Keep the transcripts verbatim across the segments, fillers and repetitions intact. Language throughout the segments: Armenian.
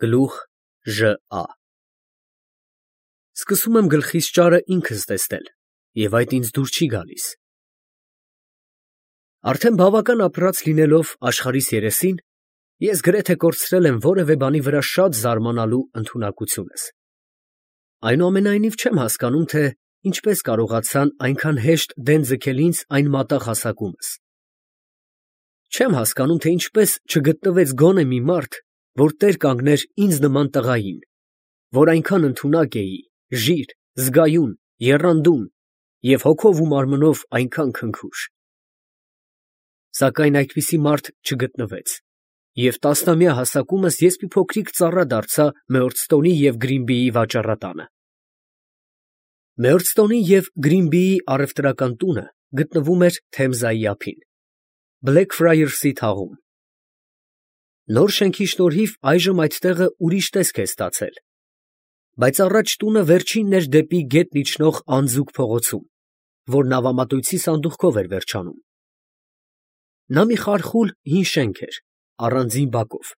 Գլուխ Ժ.Ա. Սկսում եմ գլխիս ճարը ինքս տեսնել, և այդ ինձ դուր չի գալիս։ Արդեն բավական ապրած լինելով աշխարհիս երեսին, ես գրեթե կորցրել եմ որևէ բանի վրա շատ զարմանալու ընդունակությունս։ Այնուամենայնիվ չեմ հասկանում, թե ինչպես կարողացան այնքան հեշտ դեն ձգել ինձ այն մատաղ հասակումս։ Չեմ հասկանում, թե ինչպես չգտնվեց գոնե մի մարդ, որ տեր կանգներ ինձ նման տղային, որ այնքան ընդունակ էի, ժիր, զգայուն, եռանդուն և հոգով ու մարմնով այնքան քնքուշ։ Սակայն այդպիսի մարդ չգտնվեց, և տասնամյա հասակումս ես մի փոքրիկ ծառա դարձա Մեորդստոնի և Գրինբիի վաճառատանը։ Մեորդստոնի և Գրինբիի առևտրական տունը գտնվում էր Թեմզայի ափին, Բլեքֆրայըրսի թաղում։ Նոր շենքի շնորհիվ այժմ այդ տեղը ուրիշ տեսք է ստացել, բայց առաջ տունը վերջինն էր դեպի գետն իջնող անձուկ փողոցում, որ նավամատույցի սանդուղքով էր վերջանում։ Նա մի խարխուլ հին շենք էր, առանձին բակով,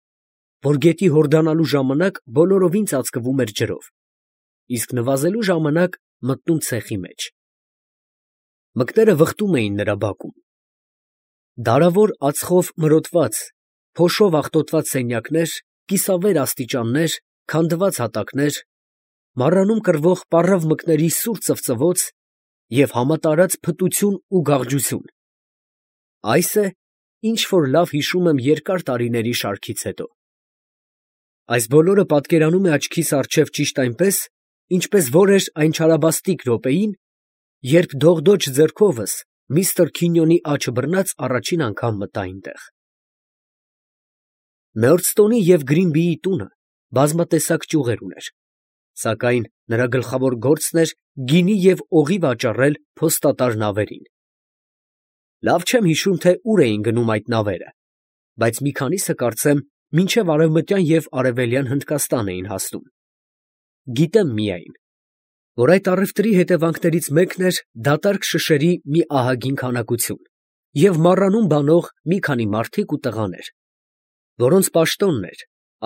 որ գետի հորդանալու ժամանակ բոլորովին ծածկվում էր ջրով, իսկ նվազելու ժամանակ մտնում ցեխի մեջ։ Մկները վխտում էին նրա բակում։ Դարավոր ածխով մրոտված, փոշով աղտոտված սենյակներ, կիսավեր աստիճաններ, քանդված հատակներ, մառանում կռվող պառավ մկների սուր ծվծվոց և համատարած փտություն ու գաղջություն։ Այս է, ինչ որ լավ հիշում եմ երկար տարիների շարքից հետո։ Այս բոլորը պատկերանում է աչքիս առջև ճիշտ այնպես, ինչպես որ էր այն չարաբաստիկ րոպեին, երբ դողդոջ ձեռքովս միստր Քինյոնի աջը բռնած առաջին անգամ մտա այնտեղ։ Մեորդստոնի և Գրինբիի տունը բազմատեսակ ճյուղեր ուներ, սակայն նրա գլխավոր գործն էր գինի և օղի վաճառել փոստատար նավերին։ Լավ չեմ հիշում, թե ուր էին գնում այդ նավերը, բայց մի քանիսը, կարծեմ, մինչև Արևմտյան և Արևելյան Հնդկաստան էին հասնում։ Գիտեմ միայն, որ այդ առևտրի հետևանքներից մեկն էր դատարկ շշերի մի ահագին քանակություն և մառանում բանող մի քանի մարդիկ ու տղաներ, որոնց պաշտոնն էր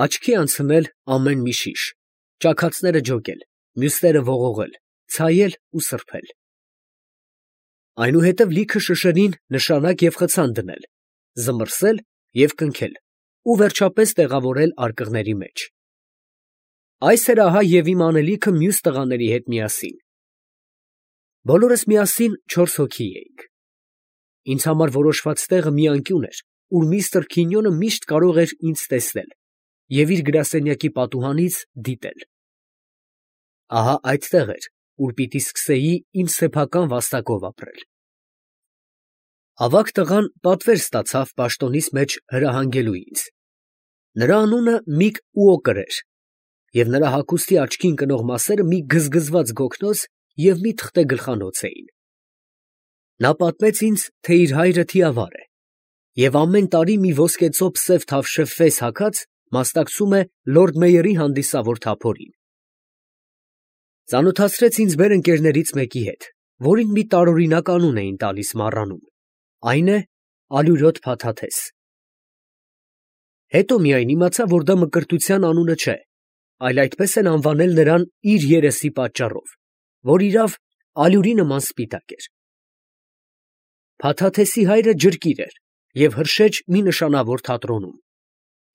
աչքի անցնել ամեն մի շիշ, ճաքածները ջոկել, մյուսները ողողել, ցայել ու սրբել։ Այնուհետև լիքը շշերին նշանակ և խցան դնել, զմռսել և կնքել ու վերջապես տեղավորել արկղների մեջ։ Այս էր ահա և իմ անելիքը մյուս տղաների հետ միասին։ Բոլորս միասին չորս հոգի էինք։ Ինձ համար որոշված տեղը մի անկյուն էր, ուր միստր Քինյոնը միշտ կարող էր ինձ տեսնել և իր գրասենյակի պատուհանից դիտել։ Ահա այդտեղ էր, ուր պիտի սկսեի իմ սեփական վաստակով ապրել։ Ավագ տղան պատվեր ստացավ պաշտոնիս մեջ հրահանգելու ինձ։ Նրա անունը Միկ Ուոկր էր, և նրա հագուստի աչքին ընկնող մասերը մի գզգզված գոգնոց և մի թղթե գլխանոց էին։ Նա պատմեց ինձ, թե իր հայրը թիավար է և ամեն տարի մի ոսկեծոպ սև թավշև ֆես հագած մասնակցում է լորդ մեյորի հանդիսավոր թափորին։ Ծանոթացրեց ինձ մեր ընկերներից մեկի հետ, որին մի տարօրինակ անուն էին տալիս մառանում, այն է Ալյուրոտ Փաթաթես։ Հետո միայն իմացա, որ դա մկրտության անունը չէ, այլ այդպես են անվանել նրան իր երեսի պատճառով, որ իրավ ալյուրի նման սպիտակ էր։ Փաթաթեսի հայրը ջրկիր էր և հրշեջ մի նշանավոր թատրոնում,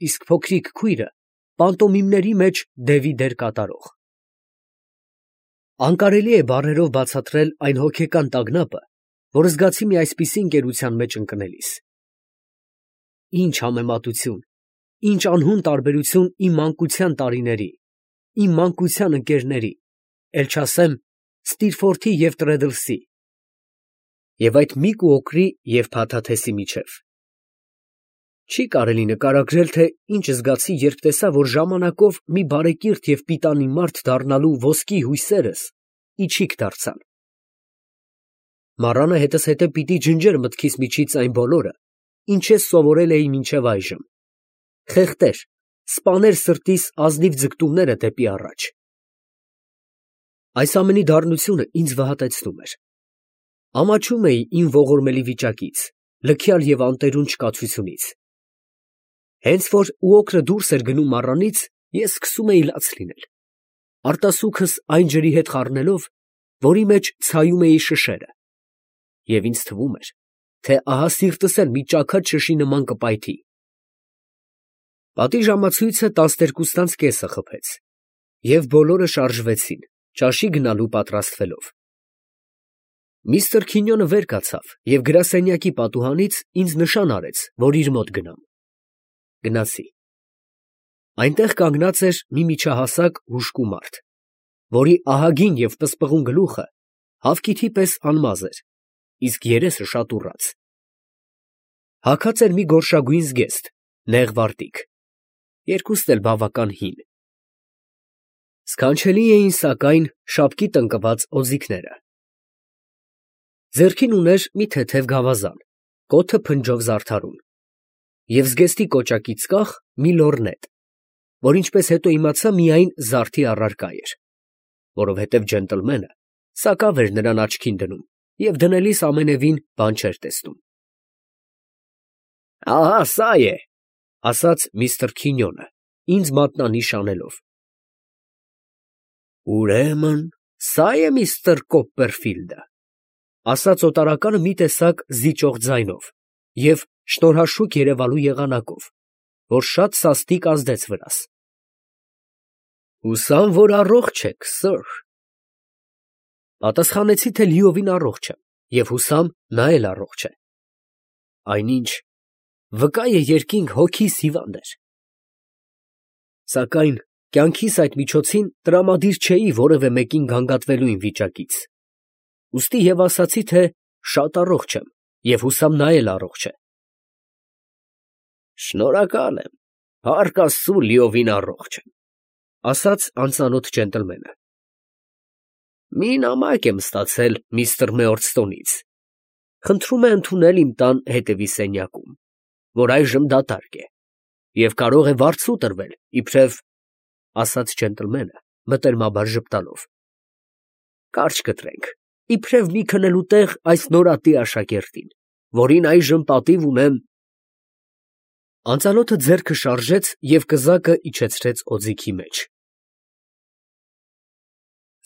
իսկ փոքրիկ քույրը պանտոմիմների մեջ դևի դեր կատարող։ Անկարելի է բառերով բացատրել այն հոգեկան տագնապը, որ զգացի մի այսպիսի ընկերության մեջ ընկնելիս։ Ինչ համեմատություն, ինչ անհուն տարբերություն իմ մանկության տարիների, իմ մանկության ընկերների, էլ չասեմ Ստիրֆորթի և Տրեդլսի և այդ Միկ Ուոկրի և Փաթաթեսի միջև։ Չի կարելի նկարագրել, թե ինչ զգացի, երբ տեսա, որ ժամանակով մի բարեկիրթ և պիտանի մարդ դառնալու ոսկի հույսերս իչիք դարձան։ Մառանը հետզհետե պիտի ջնջեր մտքիս միջից այն բոլորը, ինչ ես սովորել էի մինչև այժմ, խեղդեր, սպաներ սրտիս ազնիվ ձգտումները դեպի առաջ։ Այս ամենի դառնությունը ինձ վհատեցնում էր։ Ամաչում էի իմ ողորմելի վիճակից, լքյալ և անտերուն չկացությունից։ Հենց որ Ուոկրը դուրս էր գնում մառանից, ես սկսում էի լաց լինել, արտասուքս այն ջրի հետ խառնելով, որի մեջ ցայում էի շշերը, և ինձ թվում էր, թե ահա սիրտս էլ մի ճաքած շշի նման կպայթի։ Պատի ժամացույցը տասներկուս տանց կեսը խփեց, և բոլորը շարժվեցին, ճաշի գնալու պատրաստվելով։ Միստր Քինյոնը վեր կացավ և գրասենյակի պատուհանից ինձ նշան արեց, որ իր մոտ գնամ։ Գնացի։ Այնտեղ կանգնած էր մի միջահասակ հուժկու մարդ, որի ահագին և պսպղուն գլուխը հավկիթի պես անմազ էր, իսկ երեսը շատ ուռած։ Հագած էր մի գորշագույն զգեստ, նեղ վարտիք, երկուստ էլ բավական հին։ Սքանչելի էին, սակայն, շապկի տնկված օձիքները։ Ձեռքին ուներ մի թեթև գավազան, կոթը փնջով զարդարուն, և զգեստի կոճակից կախ մի լոռնետ, որ ինչպես հետո իմացա, միայն զարդի առարկա էր, որովհետև ջենտլմենը սակավ էր նրան աչքին դնում և դնելիս ամենևին բան չէր տեսնում։ ֊ Ահա սա է, ֊ ասաց միստր Քինյոնը, ինձ մատնանիշ անելով։ ֊ Ուրեմն սա է միստր Կոպպերֆիլդը, ֊ ասաց օտարականը մի տեսակ զիջող ձայնով և շնորհաշուք երևալու եղանակով, որ շատ սաստիկ ազդեց վրաս։ ֊ Հուսամ, որ առողջ եք, սըր։ Պատասխանեցի, թե լիովին առողջ եմ, և հուսամ, նա էլ առողջ է։ Այնինչ վկա է երկինք հոգիս հիվանդ էր։ Սակայն կյանքիս այդ միջոցին տրամադիր չէի որևէ մեկին գանգատվելու իմ վիճակից, ուստի և ասացի, թե շատ առողջ եմ և հուսամ նա էլ առողջ է։ Շնորհակալ եմ, փառք Աստծու, լիովին առողջ եմ, ֊ ասաց անծանոթ ջենտլմենը։ Մի նամակ եմ ստացել միստր Մեորստոնից, խնդրում է ընդունել իմ տան հետևի սենյակում, որ այժմ դատարկ է, և կարող է վարձու տրվել, իբրև, ֊ ասաց ջենտլմենը մտերմաբար ժպտալով, ֊ կարճ կտրենք, իբրև մի քնելու տեղ այս նորատի աշակերտին, որին այժմ պատիվ ունեմ… Անծանոթը ձեռքը շարժեց և կզակը իջեցրեց օձիքի մեջ։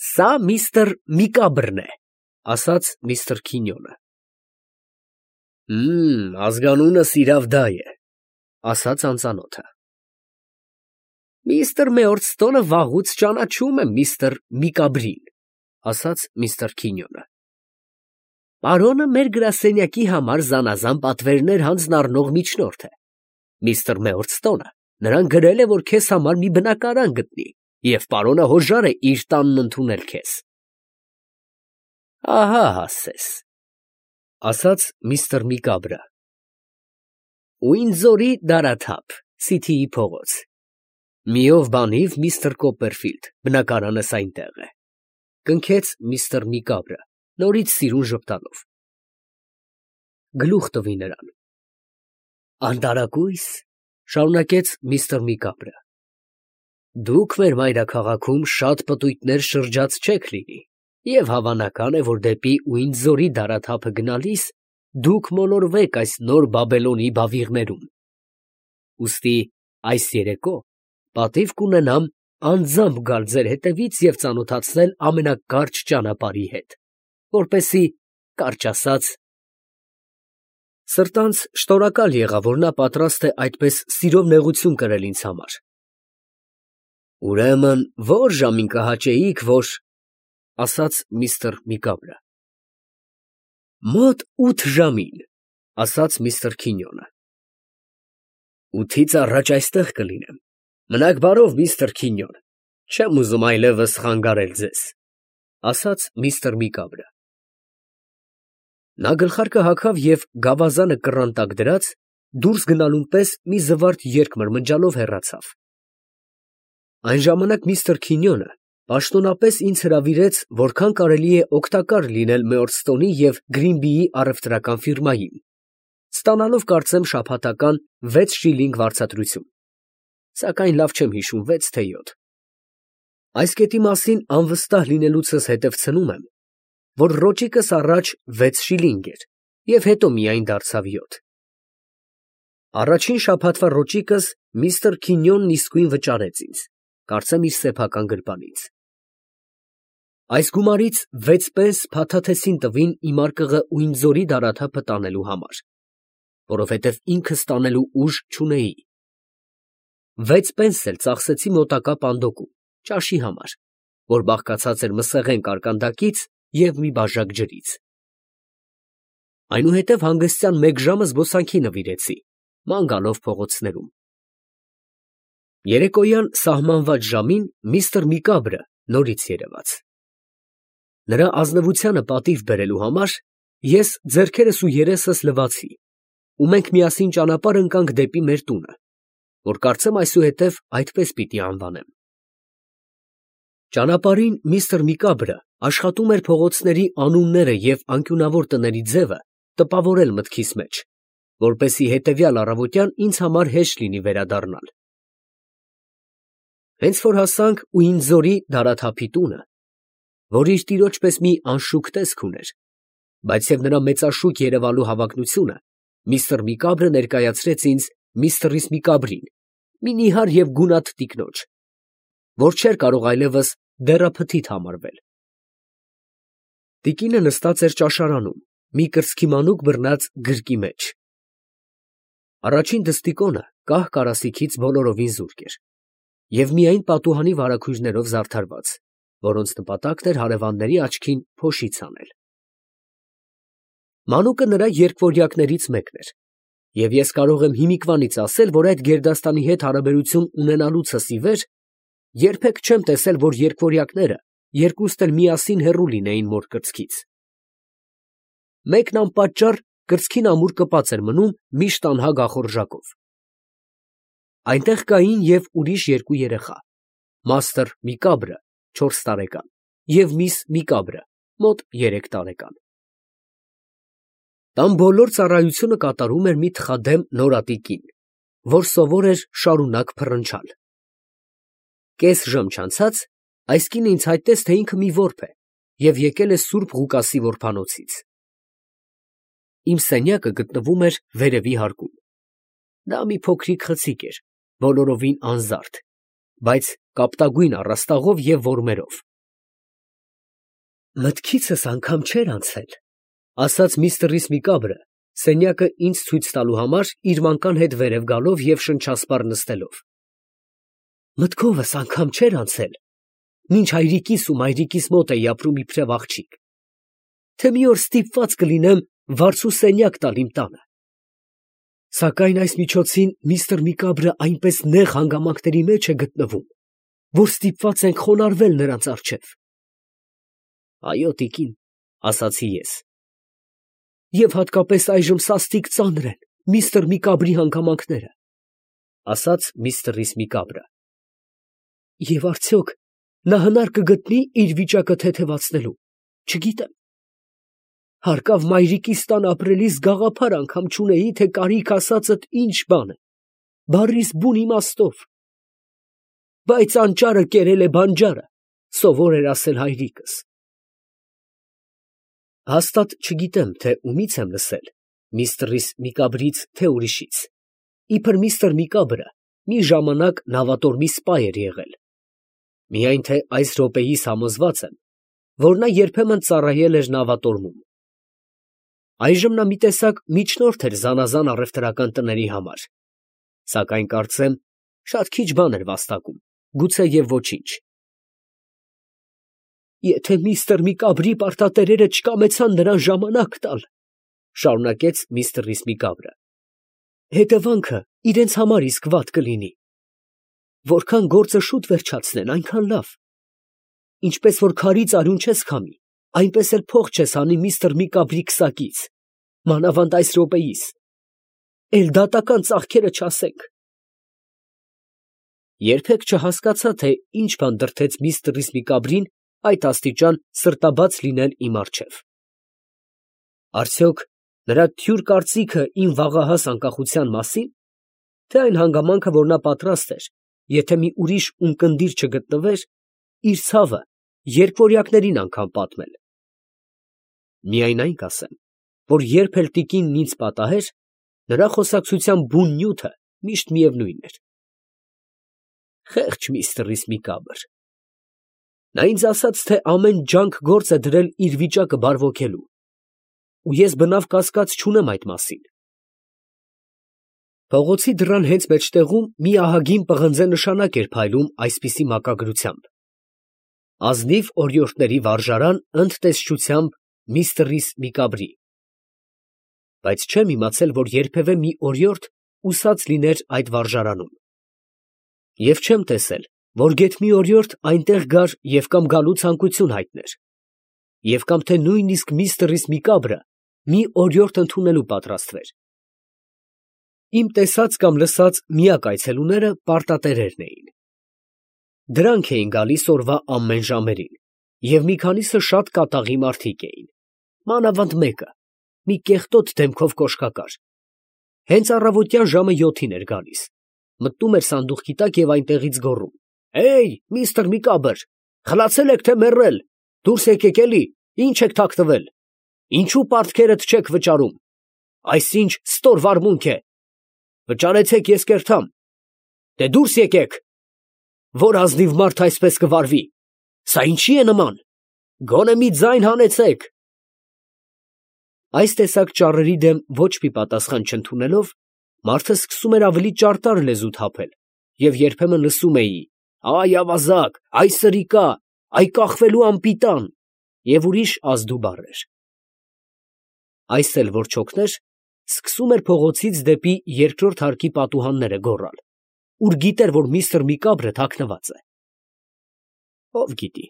Սա միստր Միկաբրն է, ֊ ասաց միստր Քինյոնը։ Հըմ, ազգանունս իրավ դա է, ֊ ասաց անծանոթը։ Միստր Մեորդստոնը վաղուց ճանաչում է միստր Միկաբրին, ֊ ասաց միստր Քինյոնը։ Պարոնը մեր գրասենյակի համար զանազան պատվերներ հանձնառնող միջնորդ է։ Միստր Մեորդստոնը նրան գրել է, որ քեզ համար մի բնակարան գտնի, և պարոնը հոժար է իր տանն ընդունել քեզ։ Ահա հասես, ֊ ասաց միստր Միկաբրը։ Ուինձորի դարաթափ, Սիթիի փողոց։ Մի ով բանիվ միստր Կոպպերֆիլդ, բնակարանս այնտեղ է, ֊ կնքեց միստր Միկաբրը, նորից սիրուն ժպտալով։ Գլուխ տվի նրան։ Անտարակույս, ֊ շարունակեց միստր Միկաբրը, դուք մեր մայրաքաղաքում շատ պտույտներ շրջած չեք լինի, և հավանական է, որ դեպի Ուինձորի դարաթափը գնալիս դուք մոլորվեք այս նոր Բաբելոնի բավիղներում։ Ուստի այս երեկո պատիվ կունենամ անձամբ գալ ձեր հետևից և ծանոթացնել ամենակարճ ճանապարհի հետ, որպեսզի, կարճ ասած… Սրտանց շնորհակալ եղա, որ նա պատրաստ է այդպես սիրով նեղություն կրել ինձ համար։ Ուրեմն ո՞ր ժամին կհաճեիք, որ… ֊ ասաց միստր Միկաբրը։ Մոտ ութ ժամին, ֊ ասաց միստր Քինյոնը։ Ութից առաջ այստեղ կլինեմ։ Մնաք բարով, միստր Քինյոն, չեմ ուզում այլևս խանգարել ձեզ, ֊ ասաց միստր Միկաբրը։ Նա գլխարկը հագավ և գավազանը կռան տակ դրած, դուրս գնալուն պես մի զվարթ երգ մրմնջալով հեռացավ։ Այն ժամանակ միստր Քինյոնը պաշտոնապես ինձ հրավիրեց որքան կարելի է օգտակար լինել Մեորդստոնի և Գրինբիի առևտրական ֆիրմային, ստանալով կարծեմ շաբաթական վեց շիլինգ վարձատրություն, սակայն լավ չեմ հիշում, վեց թե յոթ։ Այս կետի մասին անվստահ լինելուցս հետև ցնում եմ, որ ռոճիկս առաջ վեց շիլինգ էր և հետո միայն դարձավ յոթ։ Առաջին շաբաթվա ռոճիկս միստր Քինյոնն իսկույն վճարեց ինձ, կարծեմ իր սեփական գրպանից։ Այս գումարից վեց պենս փաթաթեցին տվին իմ արկղը ու իմ ձորի դարաթափը տանելու համար, որովհետև ինքս տանելու ուժ չունեի։ Վեց պենս էլ ծախսեցի մոտակա պանդոկում, ճաշի համար, որ բաղկացած էր մսեղեն կարկանդակից և մի բաժակ ջրից։ Այնուհետև հանգստյան մեկ ժամը զբոսանքի նվիրեցի, ման գալով փողոցներում։ Երեկոյան սահմանված ժամին միստր Միկաբրը նորից երևաց։ Նրա ազնվությանը պատիվ բերելու համար ես ձեռքերս ու երեսս լվացի, ու մենք միասին ճանապարհ ընկանք դեպի մեր տունը, որ կարծեմ այսուհետև այդպես պիտի անվանեմ։ Ճանապարհին միստր Միկաբրը աշխատում էր փողոցների անունները և անկյունավոր տների ձևը տպավորել մտքիս մեջ, որպեսզի հետևյալ առավոտյան ինձ համար հեշտ լինի վերադառնալ։ Հենց որ հասանք Ուինձորի դարաթափի տունը, որ իր տիրոջ պես մի անշուք տեսք ուներ, բայց և նրա մեծաշուք երևալու հավակնությունը, միստր Միկաբրը ներկայացրեց ինձ միստրիս Միկաբրին, մի նիհար և գունատ տիկնոջ, որ չէր կարող այլևս դեռափթիթ համարվել։ Տիկինը նստած էր ճաշարանում, մի կրծքի մանուկ բռնած գրկի մեջ։ Առաջին դստիկոնը կահ կարասիքից բոլորովին զուրկ էր և միայն պատուհանի վարագույրներով զարդարված, որոնց նպատակն էր հարևանների աչքին փոշից հանել։ Մանուկը նրա երկվորյակներից մեկն էր, և ես կարող եմ հիմիկվանից ասել, որ այդ գերդաստանի հետ հարաբերություն ունենալուցս ի վեր երբեք չեմ տեսել, որ երկվորյակները երկուստ էլ միասին հեռու լինեին մոր կրծքից։ Մեկն անպատճառ կրծքին ամուր կպած էր մնում միշտ անհագ ախորժակով։ Այնտեղ կային և ուրիշ երկու երեխա, մաստր Միկաբրը չորս տարեկան և միս Միկաբրը մոտ երեք տարեկան։ Տան բոլոր ծառայությունը կատարում էր մի թխադեմ նորատի կին, որ սովոր էր շարունակ փռնչալ։ Կես ժամ չանցած այս կինը ինձ հայտնեց, թե ինքը մի որբ է և եկել է սուրբ Ղուկասի որբանոցից։ Իմ սենյակը գտնվում էր վերևի հարկում։ Դա մի փոքրիկ խցիկ էր, բոլորովին անզարդ, բայց կապտագույն առաստաղով և որմերով։ Մտքիցս անգամ չէր անցել, ասաց միստրիս Միկաբրը, սենյակը ինձ ցույց տալու համար իր մանկան հետ վերև գալով և շնչասպառ նստելով։ Մտքովս անգամ չէր անցել, մինչ հայրիկիս ու մայրիկիս մոտ էի ապրում իբրև աղջիկ, թե մի օր ստիպված կլինեմ վարձու սենյակ տալ իմ տանը։ Սակայն այս միջոցին միստր Միկաբրը այնպես նեղ հանգամանքների մեջ է գտնվում, որ ստիպված ենք խոնարհվել նրանց առջև։ Այո, տիկին, ասացի ես, և հատկապես այժմ սաստիկ ծանր են միստր Միկաբրի հանգամանքները, ասաց միստրիս Միկաբրը։ Եվ արդյոք նա հնար կգտնի իր վիճակը թեթևացնելու, չգիտեմ։ Հարկավ մայրիկիս տան ապրելիս գաղափար անգամ չունեի, թե կարիք ասածդ ինչ բան է, բառիս բուն իմաստով։ Բայց անճարը կերել է բանջարը, սովոր էր ասել հայրիկս։ Հաստատ չգիտեմ, թե ումից եմ լսել, միստրիս Միկաբրից, թե ուրիշից։ Իբր միստր Միկաբրը մի ժամանակ նավատորմի սպա էր եղել։ Միայն թե այս րոպեիս համոզված եմ, որ նա երբեմն ծառայել էր նավատորմում։ Այժմ նա մի տեսակ միջնորդ էր զանազան առևտրական տների համար, սակայն կարծեմ շատ քիչ բան էր վաստակում, գուցե և ոչինչ։ Եթե միստր Միկաբրի պարտատերերը չկամեցան նրան ժամանակ տալ, շարունակեց միստրիս Միկաբրը, հետևանքը իրենց համար իսկ վատ կլինի։ Որքան գործը շուտ վերջացնեն, այնքան լավ։ Ինչպես որ քարից արյուն չես քամի, այնպես էլ փող չես հանի միստր Միկաբրի քսակից, մանավանդ այս րոպեիս, էլ դատական ծախքերը չասենք։ Երբեք չհասկացա, թե ինչ բան դրդեց միստրիս Միկաբրին այդ աստիճան սրտաբաց լինել իմ առջև։ Արդյոք նրա թյուր կարծիքը իմ վաղահաս անկախության մասի՞ն, թե այն հանգամանքը, որ նա պատրաստ էր, եթե մի ուրիշ ունկնդիր չգտնվեր, իր ցավը երկվորյակներին անգամ պատմել։ Միայն այն կասեմ, որ երբ էլ տիկինն ինձ պատահեր, նրա խոսակցության բուն նյութը միշտ միևնույն էր։ Խեղճ միստր Իսմիկաբր։ Նա ինձ ասաց, թե ամեն ջանք գործ է դրել իր վիճակը բարվոքելու, ու ես բնավ կասկած չունեմ այդ մասին։ Փողոցի դռան հենց մեջտեղում մի ահագին պղնձե նշանակ էր փայլում այսպիսի մակագրությամբ. ազնիվ օրիորդների վարժարան ընդ տեսչությամբ միստր Միկաբրի։ Բայց չեմ իմացել, որ երբևէ մի օրիորդ ուսած լիներ այդ վարժարանում։ Եվ չեմ տեսել, որ գեթ մի օրիորդ այնտեղ գար և կամ գալու ցանկություն հայտներ, և կամ թե նույնիսկ միստր Միկաբրը մի օրիորդ ընդունելու պատրաստվեր։ Իմ տեսած կամ լսած միակ այցելուները պարտատերերն էին։ Դրանք էին գալիս օրվա ամեն ժամերին, և մի քանիսը շատ կատաղի մարդիկ էին, մանավանդ մեկը, մի կեղտոտ դեմքով կոշկակար։ Հենց առավոտյան ժամը յոթին էր գալիս, մտնում էր սանդուղքի տակ և այնտեղից գոռում. «Հեյ, միստր Միկաբր, խլացե՞լ եք, թե մեռել, դուրս եկեք էլի, ի՞նչ եք թաքնվել, ինչո՞ւ պարտքերդ չեք վճարում, այս ի՞նչ ստոր վարմունք է, վճարեցեք, ես կերթամ, դե դուրս եկեք, որ ազնիվ մարդ այսպես կվարվի, սա ինչի է նման, գոնե մի ձայն հանեցեք»։ Այս տեսակ ճառերի դեմ ոչ մի պատասխան չընդունելով, մարդը սկսում էր ավելի ճարտար լեզու թափել, և երբեմն լսում էի. «Այ ավազակ, այ սրիկա, այ կախվելու անպիտան» և ուրիշ ազդու բառեր։ Այս էլ որ չօգներ, սկսում էր փողոցից դեպի երկրորդ հարկի պատուհանները գոռալ, ուր գիտեր, որ միստր Միկաբրը թաքնված է։ Ո՞վ գիտի,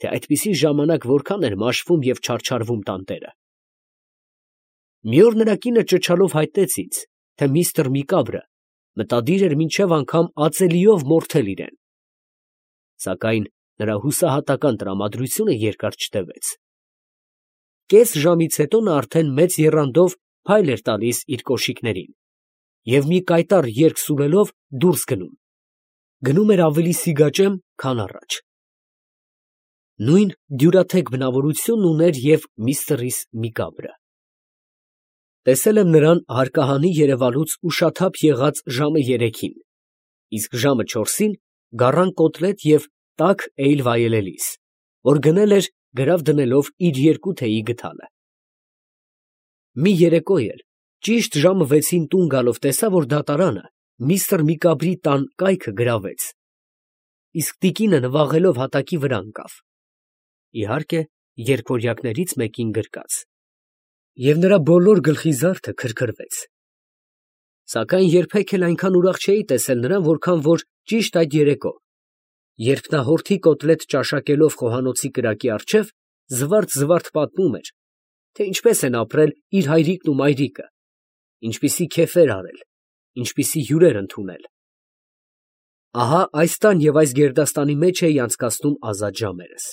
թե այդպիսի ժամանակ որքան էր մաշվում և չարչարվում տանտերը։ Մի օր նրա կինը ճչալով հայտնեց ինձ, թե միստր Միկաբրը մտադիր էր մինչև անգամ ածելիով մորթել իրեն։ Սակայն նրա հուսահատական տրամադրությունը երկար չտևեց։ Կես ժամից հետո նա արդեն մեծ եռանդով փայլ էր տալիս իր կոշիկներին և մի կայտառ երգ սուրելով դուրս գնում։ Գնում էր ավելի սիգաճեմ, քան առաջ։ Նույն դյուրաթեք բնավորությունն ուներ և միստր Միկաբրը։ Տեսել եմ նրան հարկահանի երևալուց ուշաթափ եղած ժամը երեքին, իսկ ժամը չորսին գառան կոտլետ և տաք էյլ վայելելիս, որ գնել էր գրավ դնելով իր երկու թեյի գդալը։ Մի երեկո էլ ճիշտ ժամը վեցին տուն գալով տեսա, որ դատարանը միստր Միկաբրի տան կայքը գրավեց, իսկ տիկինը նվաղելով հատակի վրա ընկավ, իհարկե երգորյակներից մեկին գրկած, և նրա բոլոր գլխի զարդը քրքրվեց։ Սակայն երբեք էլ այնքան ուրախ չէի տեսել նրան, որքան որ ճիշտ այդ երեկո, երբ նա հորթի կոտլետ ճաշակելով խոհանոցի կրակի առջև, զվարթ֊զվարթ պատմում էր, թե ինչպես են ապրել իր հայրիկն ու մայրիկը, ինչպիսի քեֆեր արել, ինչպիսի հյուրեր ընդունել։ Ահա այս տան և այս գերդաստանի մեջ էի անցկացնում ազատ ժամերս։